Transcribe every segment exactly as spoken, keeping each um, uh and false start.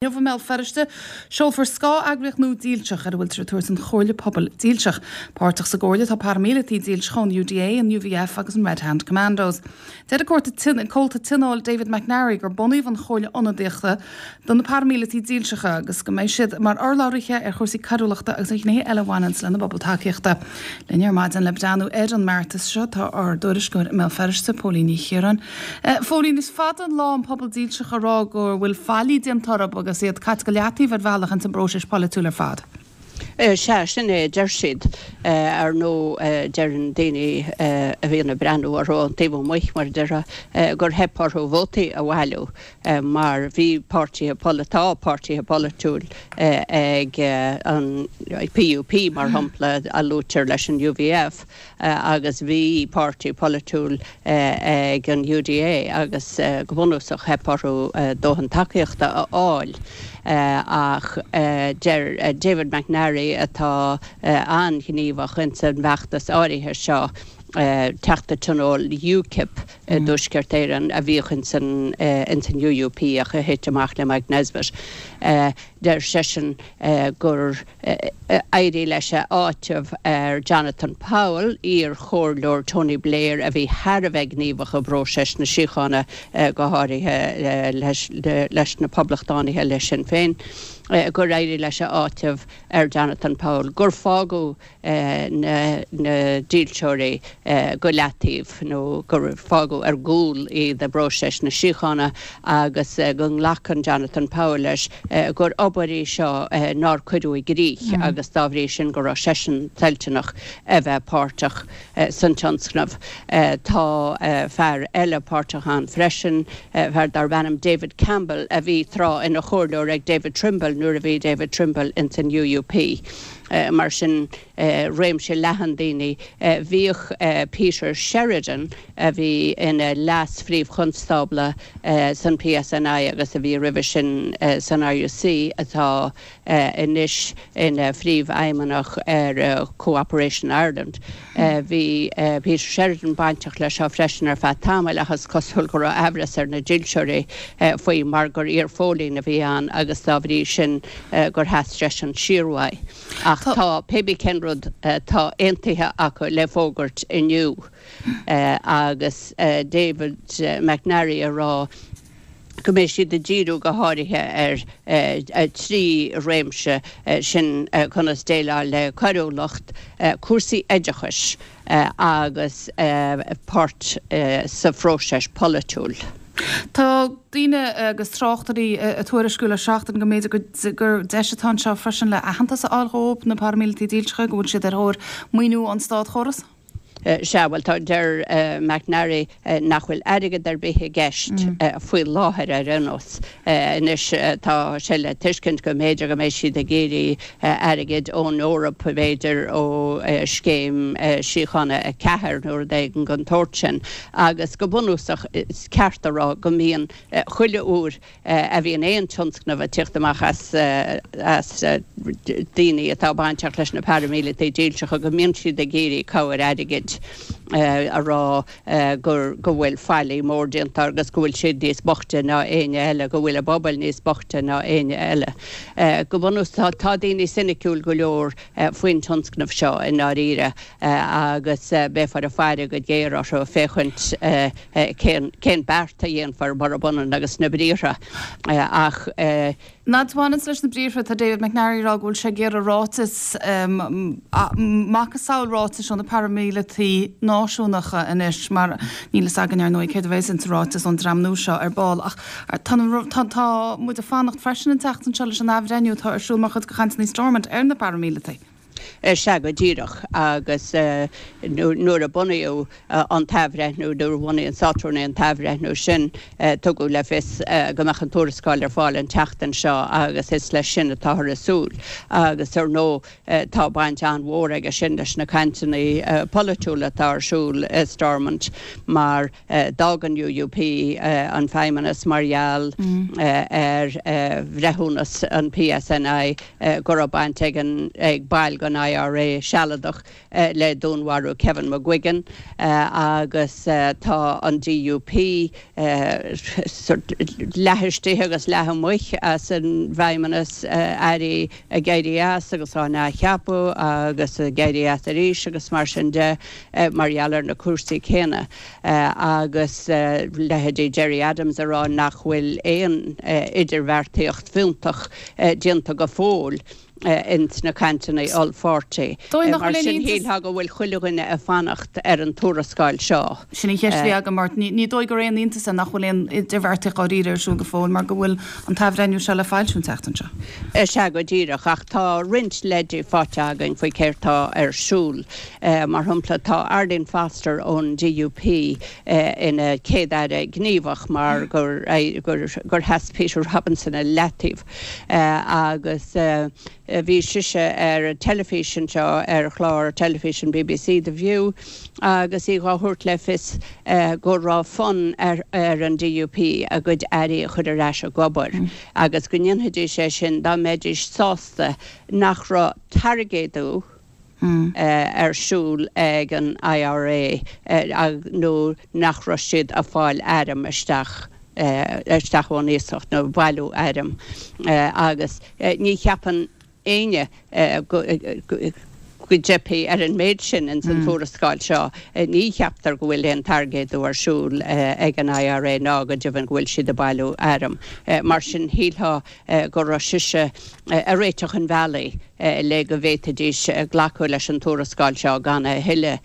Inniu i mBéal Feirste, seolfar scáth-eagraíocht nua dílseach ar a bhfuiltear ag tabhairt an Chomhairle Pobail Dílseach. Páirteach sa gcomhairle tá paraimíleataigh dílseacha ón U D A, an U V F agus an Red Hand Commandos. Deir an comhalta tionóil David McNarry gur bunaíodh an chomhairle ionadaíochta do na paraimíleataigh dílseacha agus go mbeidh siad mar urlabhraithe ar chúrsaí coiriúlachta agus ar ghnéithe eile a bhaineann lena bpobal tacaíochta. Linn ar maidin le breathnú ar an mbeartas seo tá ár dtuairisceoir i mBéal Feirste, Póilín Ní Chiaráin. Phóilín, is fada an lá an pobal dílseach ag rá go bhfuil faillí déanta orthu agus iad caite go leataobh ar bhealach ins an bpróiseas polaitiúil ar fad. Sea, sin é, deir siad. Ar ndóigh, deireann daoine a bhíonn ag breathnú orthu ón taobh amuigh, mar a déarfá, gur theip orthu vótaí a bhailiú mar bhí páirtithe, tá páirtithe polaitiúil ag an P U P, mar shampla, a luaitear leis an U V F, agus bhí páirtí polaitiúil ag an U D A agus go bunúsach theip orthu dóthain tacaíochta a fháil. Ach deir David McNarry, atá an-ghníomhach ins an bhfeachtas áirithe seo, teachta tionóil UKIP i dTuaisceart Éireann a bhíodh ins an ins an U U P ach a thit amach le Mike Nesbitt, deir seisean gur éirigh leis a áiteamh ar Jonathan Powell, iar-chomhairleoir Tony Blair a bhí thar a bheith gníomhach i bpróiseas na síochána, go háirithe leis leis na poblachtánaithe, le Sinn Féin, gur éirigh leis a áiteamh ar Jonathan Powell gur fágadh na na dílseoirí go leataobh nó gur fágadh ar gcúl iad i bpróiseas na síochána agus go nglacann Jonathan Powell leis gur obair í seo nár cuireadh i gcrích agus dá bhrí sin go raibh seisean toilteanach a bheith páirteach san tionscnamh. Tá fear eile páirteach ann freisin, fear darb ainm David Campbell, a bhí tráth ina chomhairleoir ag David Trimble nuair a bhí David Trimble ins an U U P. Mar sin, réimse leathan daoine. Bhíodh Peter Sheridan, a bhí ina leas-phríomhchonstábla san P S N I agus a bhí roimhe sin san R U C, atá anois ina phríomhfheidhmeannach ar Cooperation Ireland. Bhí Peter Sheridan bainteach leis seo freisin ar feadh tamaill ach is cosúil go raibh aimhreas ar na dílseoirí faoi mar gur iar-phóilín a bhí ann agus dá bhrí sin gur sheas seisean siar uaidh. Ach tá, pé bí cén rud, tá aontaithe acu le fógairt inniu agus David McNarry ag rá go mbeidh siad ag díriú go háirithe ar trí réimse, sin conas déileáil le coiriúlacht, cúrsaí oideachais agus páirt sa phróiseas polaitiúil. Tá daoine agus tráchtairí ag tuairisciú le seachtain go mb'fhéidir gur deis atá anseo freisin le aitheantas a fháil dhóibh, na paraimíleataigh dílseacha, go bhfuil siad ar thóir maoiniú ón státchóras. Sea, bhuel, tá, deir McNarry nach bhfuil airgead ar bith i gceist faoi láthair ar aon nós. Anois tá sé le tuiscint go mb'fhéidir go mbeidh siad ag iarraidh airgid ón Eoraip, b'fhéidir ó scéim síochána a ceathair nó rud éigin den tsórt sin. Agus go bunúsach is ceart a rá go mbíonn chuile uair a bhíonn aon tionscnamh ag tíocht amach as as daoine atá bainteach leis na paraimíleataigh dílseacha go mbíonn siad ag iarraidh cabhair airgid, a rá gur go bhfuil faillí mór déanta agus go bhfuil siad níos boichte ná éinne eile, go bhfuil a bpobail níos boichte ná éinne eile. Go bunúsach tá daoine soiniciúil go leor faoin tionscnamh seo i ndáiríre agus beifear ag faire go géar orthu féachaint cén cén beart a dhéanfar murab ionann agus na briathra ach. Nad bhaineann leis na briathra, tá David McNarry ag rá go bhfuil sé ag iarraidh ráiteas, macasamhail ráitis ó na paraimíleataigh náisiúnacha anois, mar níl fhios againn ar ndóigh céard a bheas insa ráiteas ón dream nua seo ar ball. Ach tá tá muid ag fanacht freisin an tseachtain seo leis an athbhreithniú atá ar siúl mar chuid de chainteanna Stormont ar na paraimíleataigh. Sea, go díreach, agus nuair a bunaíodh an t-athbhreithniú, nuair a bhunaigh an Státrúnaí an t-athbhreithniú sin, tugadh le fios go mbeadh an tuarascáil ar fáil an tseachtain seo agus is leis sin atáthar ag súil. Agus ar ndóigh tá baint an-mhór aige sin leis na cainteanna polaitiúla atá ar siúl i Stormont mar d'fhág an U U P an feidhmeannas mar gheall ar bhreithiúnas an P S N I go raibh baint ag an ag baill den I R A Sealadach le dúnmharú Kevin McGuigan, agus tá an D U P leath istigh agus leath amuigh as an bhFeidhmeannas, airí ag éirí as agus á n-athcheapadh agus ag éirí as arís agus mar sin de mar gheall ar na cúrsaí céanna, agus leithéidí Gerry Adams ag rá nach bhfuil aon idirbheartaíocht fiúntach déanta go fóill ins na cainteanna ollpháirtí. Mar sin, shílfeá go bhfuil chuile dhuine ag fanacht ar an tuarascáil seo. Sin í cheist agam, mar ní dóigh gur aon iontas é nach bhfuil aon idirbheartaíocht dáiríre ar siúl go fóill, mar go bhfuil an t-athbhreithniú seo le foilsiú an tseachtain seo. Sea, go díreach, ach tá roinnt leidí faighte againn faoi céard tá ar siúl. Mar shampla, tá Arlene Foster ón D U P ina céad aire gníomhach mar gur gur gur sheas Peter Robinson i leataobh, agus bhí sise ar teilifís seo, ar chlár teilifíse B B C The View, agus í á thabhairt le fios go raibh fonn ar, ar an D U P a gcuid airí a chur ar ais ag obair mm. agus go ndéanfaidís é sin dá mbeidís sásta nach raibh tairgéadú Mm. Uh, ar siúl ag an I R A uh, nó nach raibh siad ag fáil airm isteach uh, isteach ón iasacht nó bailiú airm, uh, agus uh, ní cheapann éinne go dteipfidh ar an méid sin in san mm. tuarascáil seo. Ní cheaptar go bhfuil aon tairgéadú ar siúl ag an I R A ná go deimhin go bhfuil siad ag bailiú airm. Mar sin, shílfeá go raibh sise ag réiteach an bhealaigh le go bhféadfaidís glacadh leis an tuarascáil seo gan a thuilleadh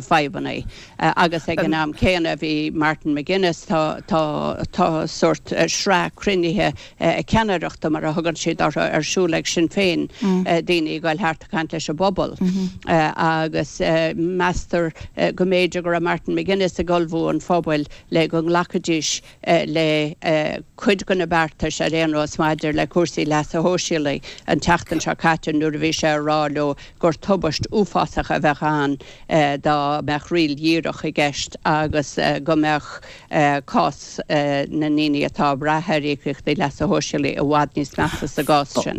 fadhbanna. Agus ag an am céanna bhí Martin McGuinness, tá tá tá sórt sraith cruinnithe ceannaireachta, mar a thugann siad orthu, ar siúl ag Sinn Féin, mm. daoine ag dul thart ag caint leis an bpobal. Mm -hmm. Agus meastar go mb'fhéidir go raibh Martin McGuinness ag ullmhú an phobail le go nglacfaidís le cuid de na beartais ar aon nós maidir le cúrsaí leasa shóisialaigh an tseachtain seo caite, nuair a bhí sé ag rá leo gur tubaist uafásach a bheadh ann dá mbeadh riail dhíreach i gceist agus go mbeadh cás na ndaoine atá ag brath ar íocaíochtaí leasa shóisialaigh i bhfad níos measa sa gcás sin.